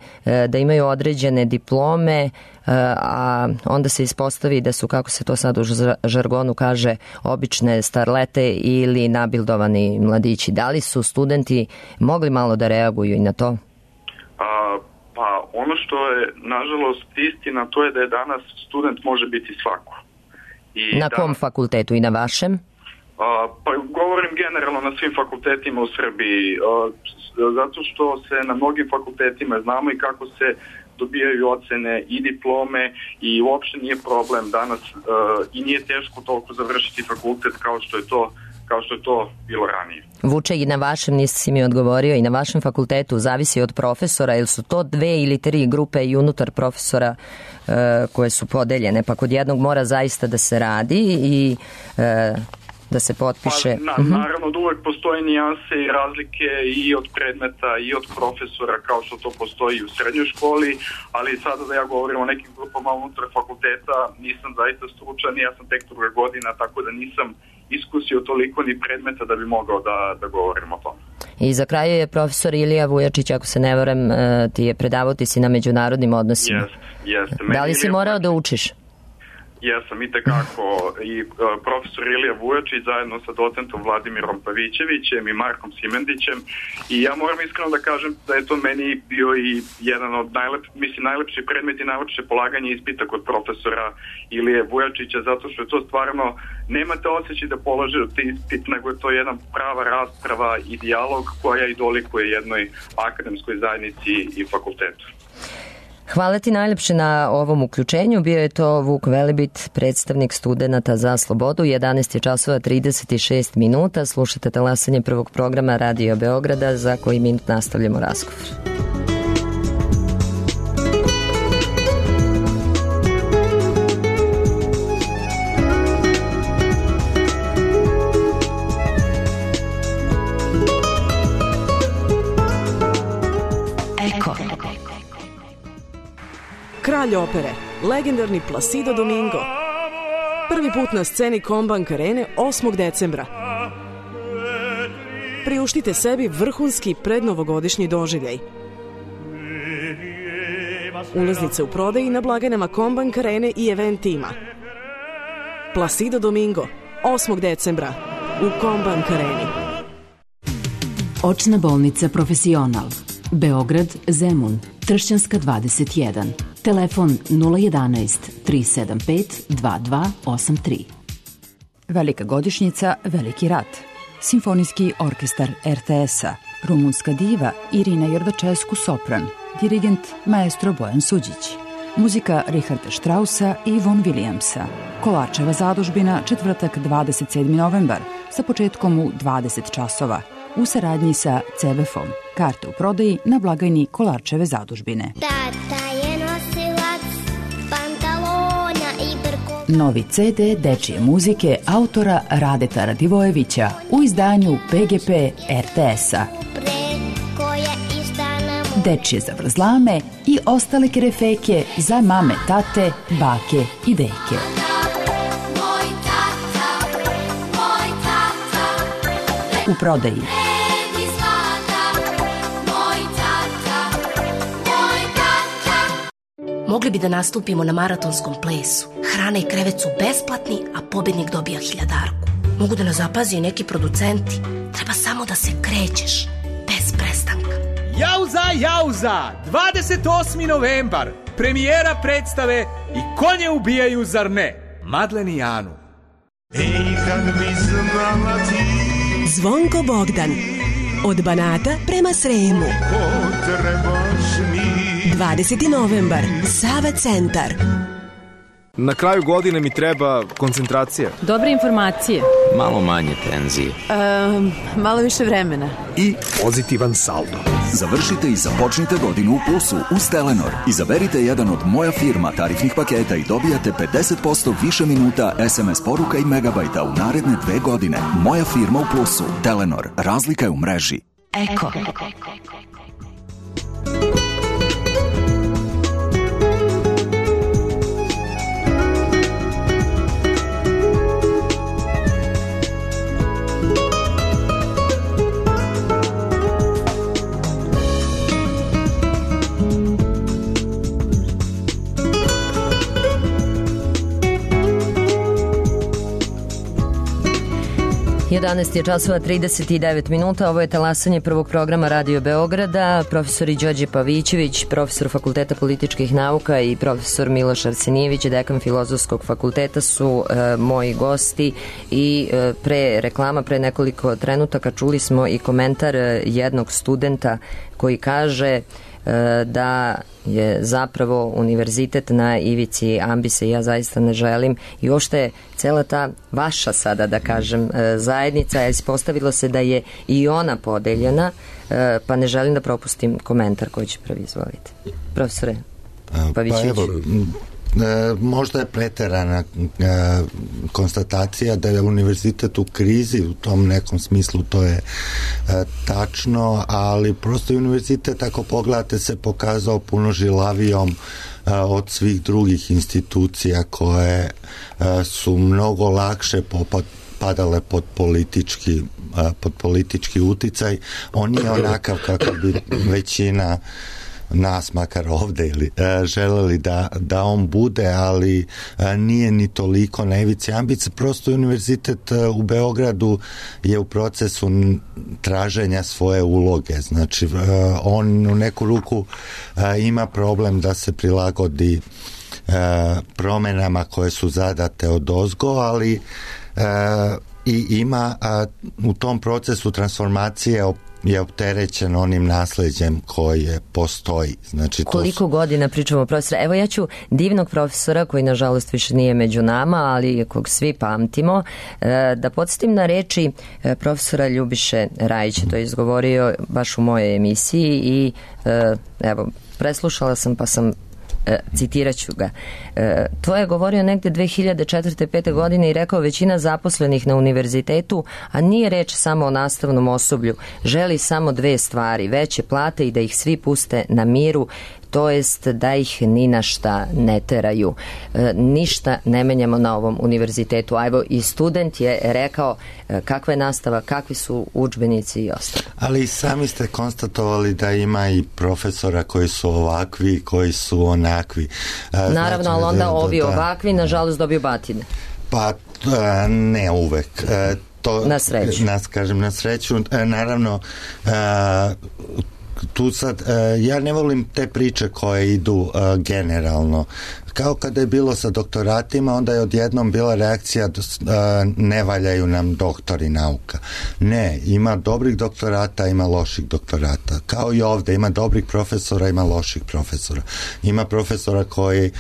da imaju određene diplome, a onda se ispostavi da su, kako se to sad u žargonu kaže, obične starlete ili nabildovani mladići. Da li su studenti mogli malo da reaguju i na to? A, pa ono što je nažalost istina, to je da je danas student može biti svako. I na kom danas, fakultetu i na vašem? A, pa govorim generalno na svim fakultetima u Srbiji, a, zato što se na mnogim fakultetima znamo i kako se dobijaju ocene i diplome i uopšte nije problem danas uh, i nije teško toliko završiti fakultet kao što je to kao što je to bilo ranije. Vuče, i na vašem, nisi mi odgovorio, i na vašem fakultetu zavisi od profesora, ili su to dve ili tri grupe i unutar profesora e, koje su podeljene, pa kod jednog mora zaista da se radi i e, da se potpiše. Pa, na, naravno da uvek postoje nijanse i razlike i od predmeta i od profesora, kao što to postoji u srednjoj školi, ali sada da ja govorim o nekim grupama unutar fakulteta, nisam zaista stručan, ja sam tek druga godina, tako da nisam iskusio toliko ni predmeta da bi mogao da, da govorim o tome. I za kraju je profesor Ilija Vujačić, ako se ne varam, ti je predavao, ti si na međunarodnim odnosima. Jeste, jeste. Da li si morao da učiš? Jesam, i tekako. I uh, profesor Ilija Vujačić zajedno sa docentom Vladimirom Pavićevićem i Markom Simendićem, i ja moram iskreno da kažem da je to meni bio i jedan od najlep, mislim, najlepši predmet i najlepše polaganje ispita kod profesora Ilije Vujačića, zato što je to stvarno, nemate osjećaj da položite ispit, nego je to jedna prava rasprava i dijalog koja i dolikuje jednoj akademskoj zajednici i fakultetu. Hvala ti najlepše na ovom uključenju. Bio je to Vuk Velebit, predstavnik Studenata za slobodu. jedanaest je časova trideset šest minuta. Slušate talasanje prvog programa Radio Beograda, za koji minut nastavljamo razgovor. Kralj opere, legendarni Placido Domingo. Prvi put na sceni Combank Arene osmog decembra. Priuštite sebi vrhunski prednovogodišnji doživljaj. Ulaznice u prodaji na blagajnama Combank Arene i Event tima. Placido Domingo, osmog decembra u Combank Areni. Očna bolnica Profesional, Beograd, Zemun, Tršćanska dvadeset jedan. Telefon nula jedanaest tri sedam pet dva dva osam tri. Velika godišnjica, veliki rat. Simfonijski orkestar er te es-a. Rumunska diva Irina Jordačescu sopran. Dirigent maestro Bojan Suđić. Muzika Richarda Straussa i Von Williamsa. Kolarčeva zadužbina, četvrtak dvadeset sedmi novembar, sa početkom u dvadeset časova. U saradnji sa ce be efom. Karte u prodaji na blagajni Kolarčeve zadužbine. Tata je nosilac pantalona i brko... Novi ce de dečije muzike autora Radeta Radivojevića u izdanju pe ge pe er te es-a. Dečije zavrzlame i ostale kerefeke za mame, tate, bake i deke. U prodaji. Mogli bi da nastupimo na maratonskom plesu. Hrana i krevet su besplatni, a pobednik dobija hiljadarku. Mogu da nas zapazi i neki producenti. Treba samo da se krećeš, bez prestanka. Jauza, jauza! dvadeset osmi novembar. Premijera predstave I konje ubijaju, zar ne? Madlen i Anu. Ej, kad bi znala ti... Zvonko Bogdan. Od Banata prema Sremu. dvadeseti novembar. Sava centar. Na kraju godine mi treba koncentracija. Dobre informacije. Malo manje tenzije. Um, malo više vremena. I pozitivan saldo. Završite i započnite godinu u plusu uz Telenor. Izaberite jedan od Moja firma tarifnih paketa i dobijate pedeset posto više minuta es em es poruka i megabajta u naredne dve godine. Moja firma u plusu. Telenor. Razlika je u mreži. Eko. jedanaest je časova trideset devet minuta, ovo je talasanje prvog programa Radio Beograda. Profesori Đorđe Pavićević, profesor Fakulteta političkih nauka i profesor Miloš Arsenijević, dekan Filozofskog fakulteta su e, moji gosti i e, pre reklama, pre nekoliko trenutaka čuli smo i komentar jednog studenta koji kaže da je zapravo univerzitet na ivici ambisa i ja zaista ne želim i uopšte je cela ta vaša sada da kažem zajednica, ispostavilo se da je i ona podeljena, pa ne želim da propustim komentar koji će prvi izvoliti. Profesore Pavićević. Pa evo, možda je preterana konstatacija da je univerzitet u krizi, u tom nekom smislu to je tačno, ali prosto univerzitet, ako pogledate, se pokazao puno žilavijom od svih drugih institucija koje su mnogo lakše padale pod politički pod politički uticaj. On je onakav kako bi većina nas, makar ovde, ili, e, želeli da, da on bude, ali e, nije ni toliko na ivici ambice. Prosto univerzitet e, u Beogradu je u procesu traženja svoje uloge. Znači, e, on u neku ruku e, ima problem da se prilagodi e, promenama koje su zadate od ozgo, ali e, i ima a, u tom procesu transformacije je opterećen onim nasleđem koje postoji. Znači, koliko su... godina pričamo profesora? Evo ja ću divnog profesora koji nažalost više nije među nama, ali kog svi pamtimo, da podsjetim na reči profesora Ljubiše Rajića. To je izgovorio baš u mojoj emisiji i evo, preslušala sam pa sam E, citirat ću ga. E, to je govorio negde dve hiljade četvrte pete godine i rekao: većina zaposlenih na univerzitetu, a nije reč samo o nastavnom osoblju, želi samo dve stvari: veće plate i da ih svi puste na miru, to jest da ih ni na šta ne teraju. E, ništa ne menjamo na ovom univerzitetu. A evo i student je rekao e, kakva je nastava, kakvi su udžbenici i ostalo. Ali sami ste konstatovali da ima i profesora koji su ovakvi, koji su onakvi. E, Naravno, znači, ali onda da, ovi da, ovakvi nažalost dobiju batine. Pa e, ne uvek. E, to, na sreću. Nas, kažem, na sreću. E, naravno, e, tu sad, ja ne volim te priče koje idu generalno. Kao kada je bilo sa doktoratima, onda je odjednom bila reakcija ne valjaju nam doktori nauka. Ne, ima dobrih doktorata, ima loših doktorata. Kao i ovde, ima dobrih profesora, ima loših profesora. Ima profesora koji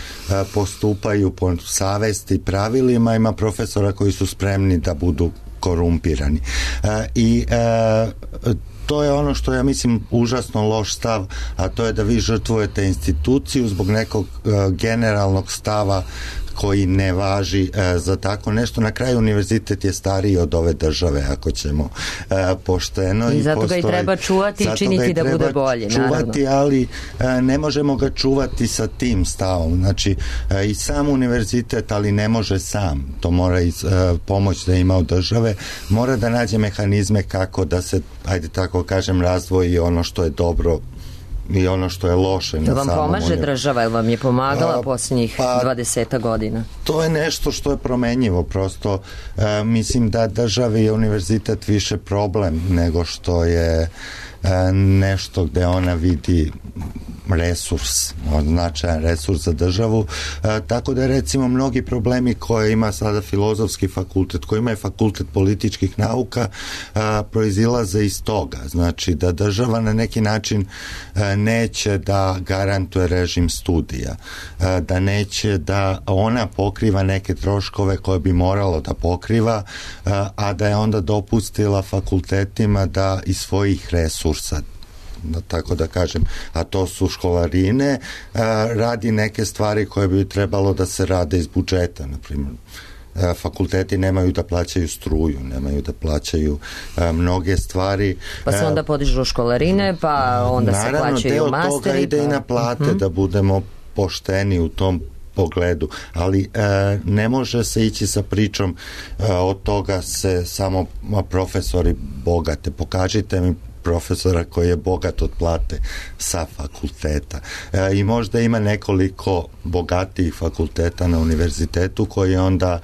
postupaju po savesti i pravilima, ima profesora koji su spremni da budu korumpirani. I to je ono što ja mislim užasno loš stav, a to je da vi žrtvujete instituciju zbog nekog uh, generalnog stava koji ne važi e, za tako nešto. Na kraju univerzitet je stariji od ove države, ako ćemo e, pošteno. I, I zato postoji, ga i treba čuvati i činiti da bude bolje. Čuvati, naravno. ali e, ne možemo ga čuvati sa tim stavom. Znači, e, i sam univerzitet, ali ne može sam. To mora i e, pomoć da ima od države. Mora da nađe mehanizme kako da se, ajde tako kažem, razdvoji ono što je dobro i ono što je loše. To vam pomaže država, ili vam je pomagala a, posljednjih pa, dvadeseta godina? To je nešto što je promenjivo, prosto e, mislim da državi je univerzitet više problem nego što je e, nešto gde ona vidi resurs, značajan resurs za državu, e, tako da recimo mnogi problemi koje ima sada filozofski fakultet, koji ima je fakultet političkih nauka, e, proizilaze iz toga, znači da država na neki način e, neće da garantuje režim studija, e, da neće da ona pokriva neke troškove koje bi moralo da pokriva, e, a da je onda dopustila fakultetima da iz svojih resursa, da, tako da kažem, a to su školarine, a, radi neke stvari koje bi trebalo da se rade iz budžeta, na primjer. A, fakulteti nemaju da plaćaju struju, nemaju da plaćaju a, mnoge stvari. Pa se onda podižu školarine, pa onda naravno, se plaćaju masteri. Naravno, deo toga ide pa... i na plate, uh-huh. da budemo pošteni u tom pogledu, ali e, ne može se ići sa pričom e, od toga se samo profesori bogate. Pokažite mi profesora koji je bogat od plate sa fakulteta. E, I možda ima nekoliko bogatijih fakulteta na univerzitetu koji onda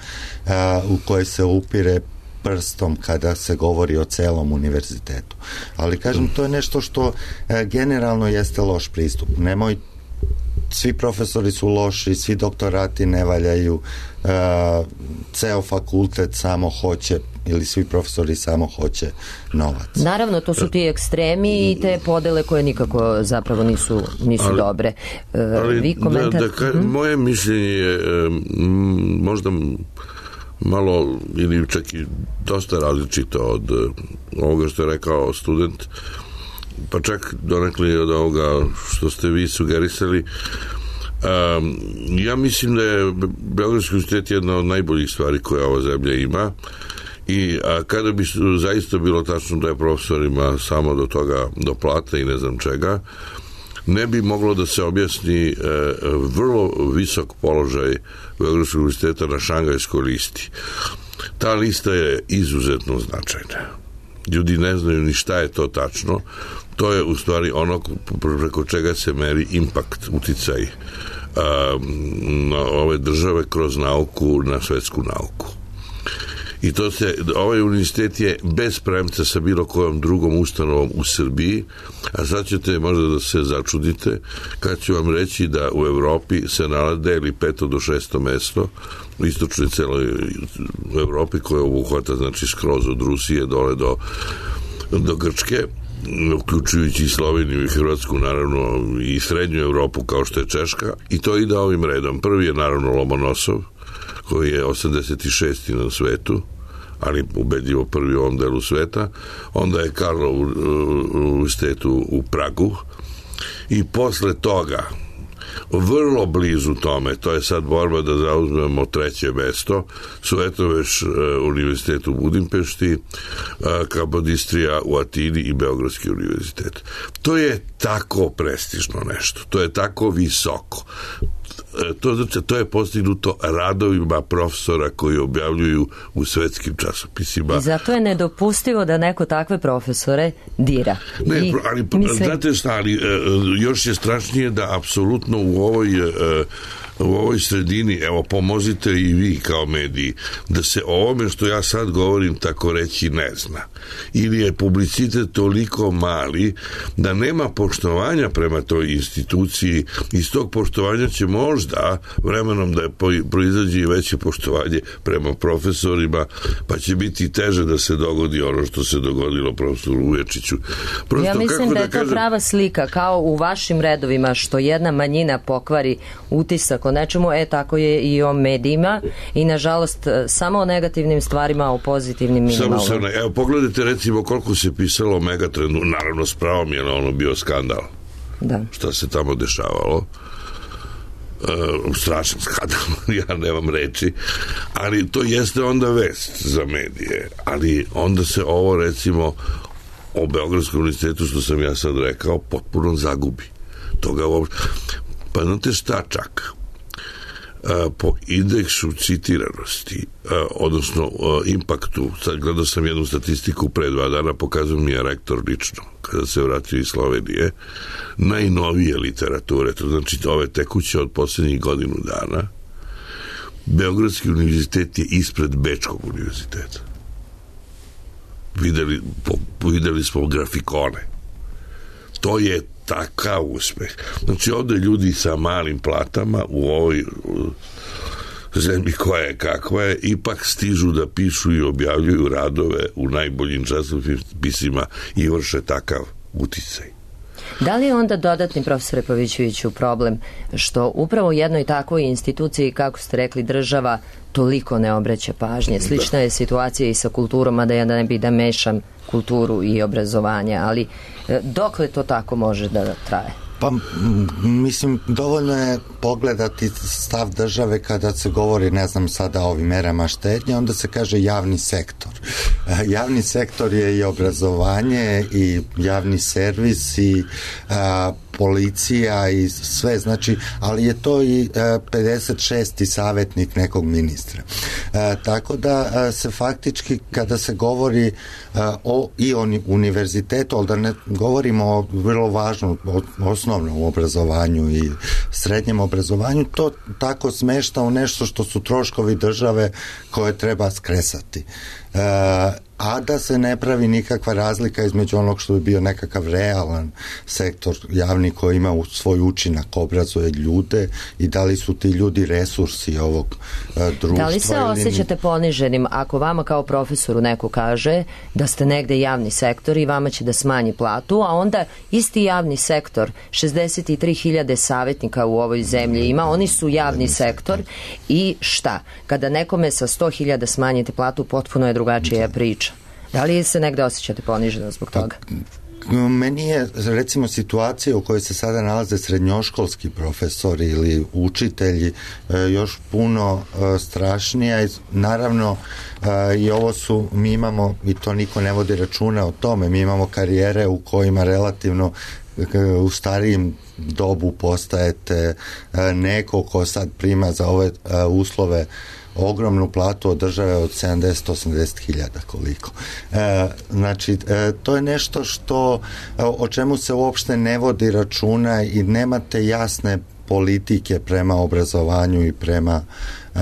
e, u koje se upire prstom kada se govori o celom univerzitetu. Ali kažem, to je nešto što e, generalno jeste loš pristup. Nemoj svi profesori su loši, svi doktorati ne valjaju, uh, ceo fakultet samo hoće ili svi profesori samo hoće novac. Naravno, to su ti ekstremi i te podele koje nikako zapravo nisu, nisu ali, dobre. E, ali vi komentar... da, da, ka, hmm? Moje mišljenje je e, m, možda malo ili čak i dosta različito od uh, ovoga što je rekao student, pa čak donekli od ovoga što ste vi sugerisali. Um, ja mislim da je Beogradski univerzitet jedna od najboljih stvari koje ova zemlja ima i a kada bi zaista bilo tačno da je profesorima samo do toga, do plate i ne znam čega, ne bi moglo da se objasni e, vrlo visok položaj Beogradskog univerziteta na Šangajskoj listi. Ta lista je izuzetno značajna. Ljudi ne znaju ni šta je to tačno. To je u stvari ono preko čega se meri impakt, uticaj a, na ove države kroz nauku, na svetsku nauku. I to se, ovaj univerzitet je bez premca sa bilo kojom drugom ustanovom u Srbiji, a sad ćete možda da se začudite kad ću vam reći da u Evropi se nalaze ili peto do šesto mesto u istočnoj celoj u Evropi koja obuhvata znači skroz od Rusije dole do, do Grčke, uključujući i Sloveniju i Hrvatsku, naravno i srednju Evropu kao što je Češka, i to ide ovim redom. Prvi je naravno Lomonosov koji je osamdeset šesti na svetu, ali ubedljivo prvi u ovom delu sveta. Onda je Karlov univerzitet u, u Pragu i posle toga vrlo blizu tome, to je sad borba da zauzmemo treće mesto, Suetoveš univerzitet u Budimpešti, Kapodistrija u Atini i Beogradski univerzitet. To je tako prestižno nešto, to je tako visoko. To, znači, to je postignuto radovima profesora koji objavljuju u svetskim časopisima. I zato je nedopustivo da neko takve profesore dira. Ne, I, ali, mislim... znate šta, ali još je strašnije da apsolutno u ovoj u ovoj sredini, evo, pomozite i vi kao mediji, da se o ovome što ja sad govorim tako reći ne zna. Ili je publicitet toliko mali da nema poštovanja prema toj instituciji. Iz tog poštovanja će možda vremenom da je proizađe i veće poštovanje prema profesorima, pa će biti teže da se dogodi ono što se dogodilo profesoru Uječiću. Prosto, ja mislim da, da je to kažem... prava slika, kao u vašim redovima, što jedna manjina pokvari utisak o nečemu, e tako je i o medijima i nažalost samo o negativnim stvarima, o pozitivnim minimalno. Samo se, evo pogledajte recimo koliko se pisalo o Megatrendu, naravno s pravom je na ono bio skandal. Da. Šta se tamo dešavalo. Uh, strašan skandal, ja nemam reči, ali to jeste onda vest za medije, ali onda se ovo recimo o Beogradskom univerzitetu što sam ja sad rekao potpuno zagubi. Toga uopšte. Pa znate šta čak? Uh, po indeksu citiranosti, uh, odnosno uh, impaktu, sad gledao sam jednu statistiku pre dva dana, pokazao mi je rektor lično, kada se vratio iz Slovenije, najnovije literature, to znači ove tekuće od posljednjih godinu dana, Beogradski univerzitet je ispred Bečkog univerziteta. Videli, po, videli smo grafikone. To je takav uspeh. Znači ovde ljudi sa malim platama u ovoj zemlji koja je kakva je, ipak stižu da pišu i objavljuju radove u najboljim časopisima i vrše takav uticaj. Da li je onda dodatni, profesore Pavićeviću, problem što upravo u jednoj takvoj instituciji, kako ste rekli, država toliko ne obraća pažnje? Slična je situacija i sa kulturom, a da ja ne bi da mešam kulturu i obrazovanje, ali dokle to tako može da traje? Pa, mislim, dovoljno je pogledati stav države kada se govori, ne znam sada o ovim merama štednje, onda se kaže javni sektor. Javni sektor je i obrazovanje i javni servis i a, policija i sve, znači, ali je to i a, pedeset šesti savjetnik nekog ministra. A, tako da a, se faktički kada se govori a, o i o univerzitetu, ali da ne govorimo o vrlo važnom o, osnovnom obrazovanju i srednjem obrazovanju, to tako smešta u nešto što su troškovi države koje treba skresati. E, a da se ne pravi nikakva razlika između onog što bi bio nekakav realan sektor javni koji ima svoj učinak, obrazuje ljude i da li su ti ljudi resursi ovog uh, društva. Da li se osjećate ni... poniženim ako vama kao profesoru neko kaže da ste negde javni sektor i vama će da smanji platu, a onda isti javni sektor, šezdeset tri hiljade savjetnika u ovoj zemlji ima, oni su javni sektor i šta? Kada nekome sa sto hiljada smanjite platu, potpuno je drugačija priča. Da li se negde osjećate poniženo zbog toga? Meni je, recimo, situacija u kojoj se sada nalaze srednjoškolski profesori ili učitelji još puno strašnija i naravno i ovo su, mi imamo, i to niko ne vodi računa o tome, mi imamo karijere u kojima relativno u starijim dobu postajete neko ko sad prima za ove uslove ogromnu platu od države od sedamdeset do osamdeset hiljada koliko. E, znači, e, to je nešto što, o čemu se uopšte ne vodi računa i nemate jasne politike prema obrazovanju i prema uh,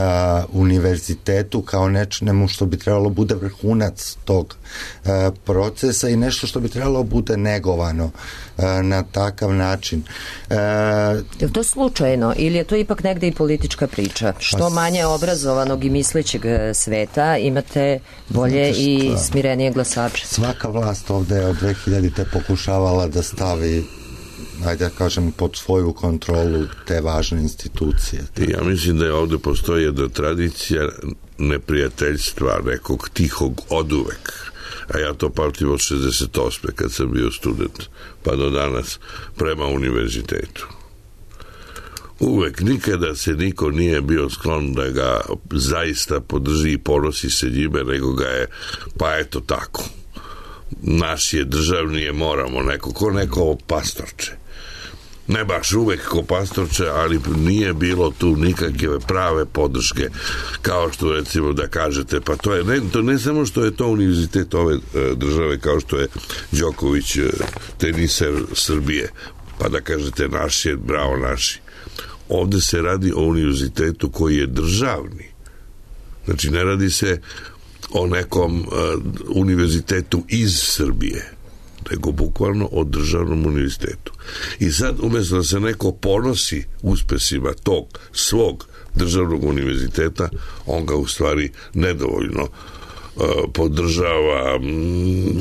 univerzitetu kao nečemu što bi trebalo bude vrhunac tog uh, procesa i nešto što bi trebalo bude negovano uh, na takav način. Uh, je to slučajno ili je to ipak negde i politička priča? Što manje obrazovanog i mislećeg sveta imate bolje i smirenije glasače? Svaka vlast ovde je od dve hiljadite pokušavala da stavi, ajde da kažem, pod svoju kontrolu te važne institucije. Ja mislim da je ovde postoji jedna tradicija neprijateljstva, nekog tihog oduvek. A ja to pamtim od šezdeset osme kad sam bio student, pa do danas, prema univerzitetu. Uvek, nikada se niko nije bio sklon da ga zaista podrži i ponosi se njime, nego ga je, pa eto tako. Naš je državni, je moramo neko, ko neko pastorče. Ne baš uvek ko pastorče, ali nije bilo tu nikakve prave podrške, kao što recimo da kažete, pa to je ne, to ne samo što je to univerzitet ove države, kao što je Đoković teniser Srbije, pa da kažete naš je, bravo naši. Ovde se radi o univerzitetu koji je državni. Znači ne radi se o nekom uh, univerzitetu iz Srbije, nego bukvalno o državnom univerzitetu. I sad, umjesto da se neko ponosi uspesima tog svog državnog univerziteta, on ga u stvari nedovoljno podržava,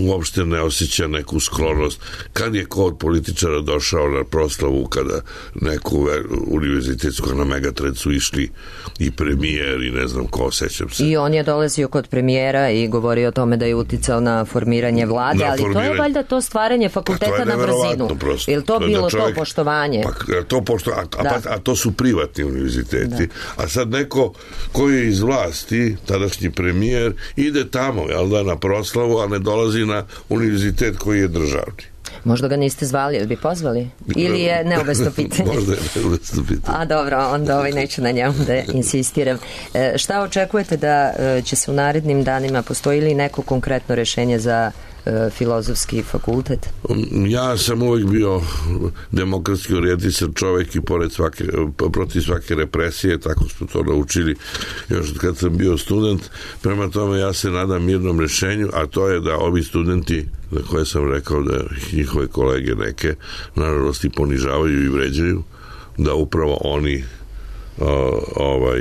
uopšte ne osjeća neku sklonost. Kad je ko od političara došao na proslavu kada neku univerzitetsku na Megatred su išli i premijer i ne znam ko, sećam se. I on je dolazio kod premijera i govorio o tome da je uticao na formiranje vlade, na ali formiranje... to je valjda to stvaranje fakulteta pa na brzinu. Prosto. Je li to da, bilo da čovjek, to poštovanje? Pa, to pošto, a, a, a to su privatni univerziteti. Da. A sad neko koji je iz vlasti, tadašnji premijer, ide tamo, jel da, na proslavu, a ne dolazi na univerzitet koji je državni. Možda ga niste zvali, ili bi pozvali? Ili je neobesno pitanje? Možda je neobesno pitanje. A dobro, onda ovaj neću na njemu da insistiram. E, šta očekujete da e, će se u narednim danima, postoji li neko konkretno rešenje za e, filozofski fakultet? Ja sam uvek bio demokratski orijentisan čovek i pored svake, protiv svake represije, tako smo to naučili još kad sam bio student. Prema tome ja se nadam mirnom rešenju, a to je da ovi studenti za koje sam rekao da njihove kolege neke naravnosti ponižavaju i vređaju, da upravo oni o, ovaj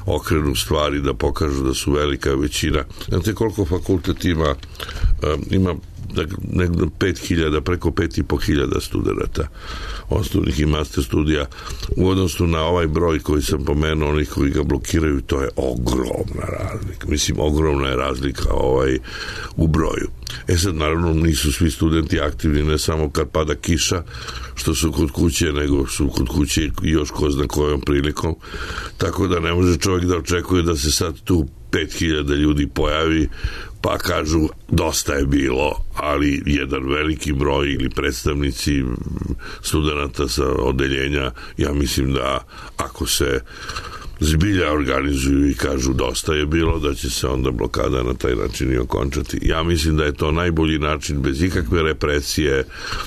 okrenu stvari, da pokažu da su velika većina. Znate koliko fakultet ima? Ima negdje pet hiljada, preko pet i po hiljada studenta osnovnih i master studija. U odnosu na ovaj broj koji sam pomenuo, onih koji ga blokiraju, to je ogromna razlika. Mislim, ogromna je razlika ovaj, u broju. E sad, naravno, nisu svi studenti aktivni, ne samo kad pada kiša, što su kod kuće, nego su kod kuće i još ko zna kojom prilikom. Tako da ne može čovjek da očekuje da se sad tu pet hiljada ljudi pojavi, pa kažu dosta je bilo, ali jedan veliki broj ili predstavnici studenata sa odeljenja, ja mislim da ako se zbilja organizuju i kažu dosta je bilo, da će se onda blokada na taj način i okončati. Ja mislim da je to najbolji način, bez ikakve represije.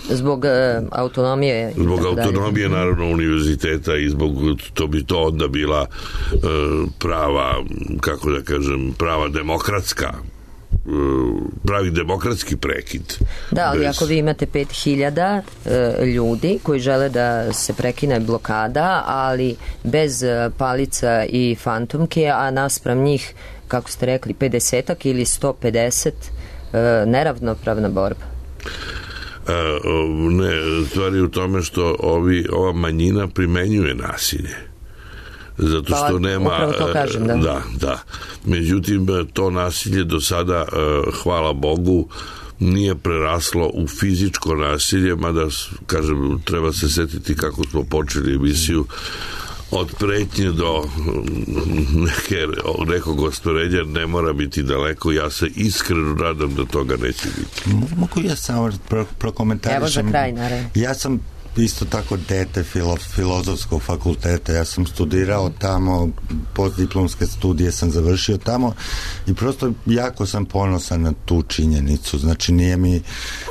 Zbog e, autonomije. Zbog autonomije, dalje. Naravno, univerziteta i zbog, to bi to onda bila e, prava, kako da kažem, prava demokratska pravi demokratski prekid. Da, ali bez... ako vi imate pet hiljada e, ljudi koji žele da se prekine blokada, ali bez palica i fantomke, a naspram njih, kako ste rekli, pedesetak ili sto pedeset, e, neravnopravna borba. E, ne, stvar je u tome što ovi, ova manjina primenjuje nasilje. Zato što pa, nema... Upravo to kažem, da. Da, da. Međutim, to nasilje do sada, hvala Bogu, nije preraslo u fizičko nasilje, mada, kažem, treba se setiti kako smo počeli emisiju od pretnje do neke, nekog ostvarenja ne mora biti daleko. Ja se iskreno nadam da toga neće biti. Mogu ja samo pro, prokomentarišem? Evo za kraj, naravno. Ja sam isto tako dete filo, filozofskog fakulteta, ja sam studirao tamo, postdiplomske studije sam završio tamo i prosto jako sam ponosan na tu činjenicu, znači nije mi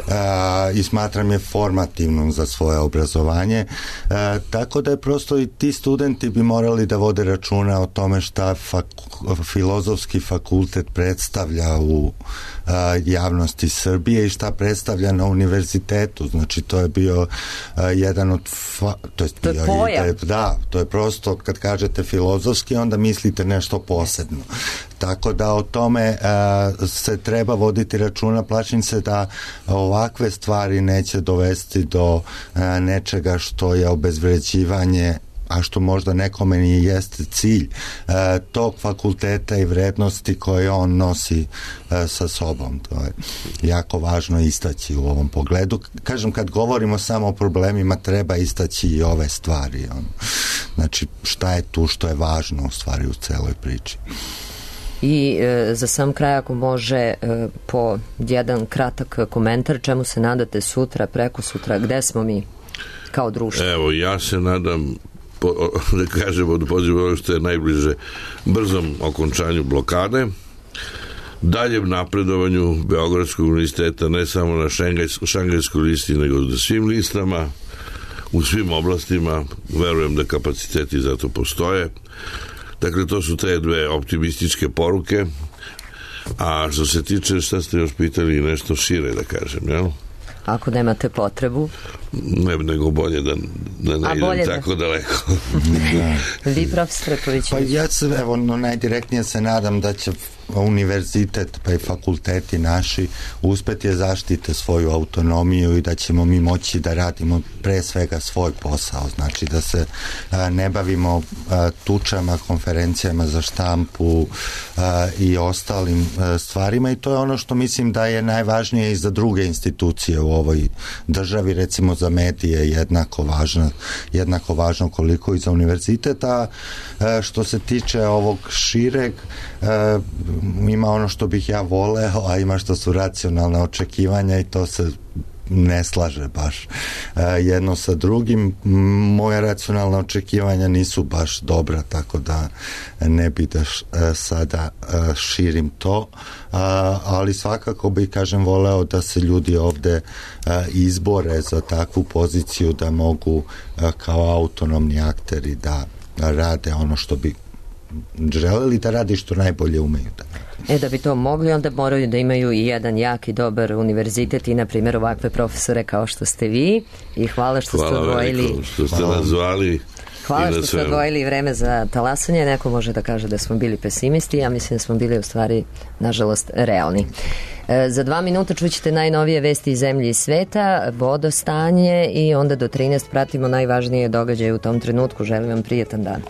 a, i smatram je formativnom za svoje obrazovanje, a, tako da je prosto i ti studenti bi morali da vode računa o tome šta faku, filozofski fakultet predstavlja u a, javnosti Srbije i šta predstavlja na univerzitetu, znači to je bio a, jedan od fa, to je, to je pojam. Da, to je prosto kad kažete filozofski onda mislite nešto posebno. Tako da o tome a, se treba voditi računa, plašim se da ovakve stvari neće dovesti do a, nečega što je obezvređivanje, a što možda nekome i jeste cilj e, tog fakulteta i vrednosti koje on nosi e, sa sobom. To je jako važno istaći u ovom pogledu. Kažem, kad govorimo samo o problemima, treba istaći i ove stvari. On. Znači, šta je tu što je važno u stvari u celoj priči. I e, za sam kraj, ako može, e, po jedan kratak komentar, čemu se nadate sutra, preko sutra, gde smo mi kao društvo? Evo, ja se nadam, po, da kažemo, da pozivam ono što je najbliže brzom okončanju blokade, daljem napredovanju Beogradskog univerziteta, ne samo na šangajskoj listi, nego na svim listama, u svim oblastima. Verujem da kapaciteti za to postoje. Dakle, to su te dve optimističke poruke. A što se tiče, šta ste još pitali, nešto šire da kažem, jel? Ako nemate potrebu. Ne, nego bolje da, da ne idem tako da... daleko. Da. Vi, profesor Ković? Pa ja se, evo, no, najdirektnije se nadam da će univerzitet pa i fakulteti naši uspeti je zaštite svoju autonomiju i da ćemo mi moći da radimo pre svega svoj posao, znači da se a, ne bavimo a, tučama, konferencijama za štampu a, i ostalim a, stvarima i to je ono što mislim da je najvažnije i za druge institucije u ovoj državi, recimo za medije jednako važno, jednako važno koliko i za univerzitet, a što se tiče ovog šireg, a, ima ono što bih ja voleo, a ima što su racionalne očekivanja i to se ne slaže baš e, jedno sa drugim. Moje racionalne očekivanja nisu baš dobra, tako da ne bi da š, e, sada e, širim to, a, ali svakako bih, kažem, voleo da se ljudi ovde e, izbore za takvu poziciju da mogu e, kao autonomni akteri da rade ono što bi želeli da radi, što najbolje umeju da radi. E, da bi to mogli, onda moraju da imaju i jedan jak i dobar univerzitet i, na primjer, ovakve profesore kao što ste vi. I hvala što hvala ste odvojili... Hvala što ste nas zvali. Hvala što ste odvojili vreme za talasanje. Neko može da kaže da smo bili pesimisti, ja mislim da smo bili u stvari, nažalost, realni. E, za dva minuta čućete najnovije vesti iz zemlje i sveta, vodostanje i onda do trinaest pratimo najvažnije događaje u tom trenutku. Želim vam prijetan dan.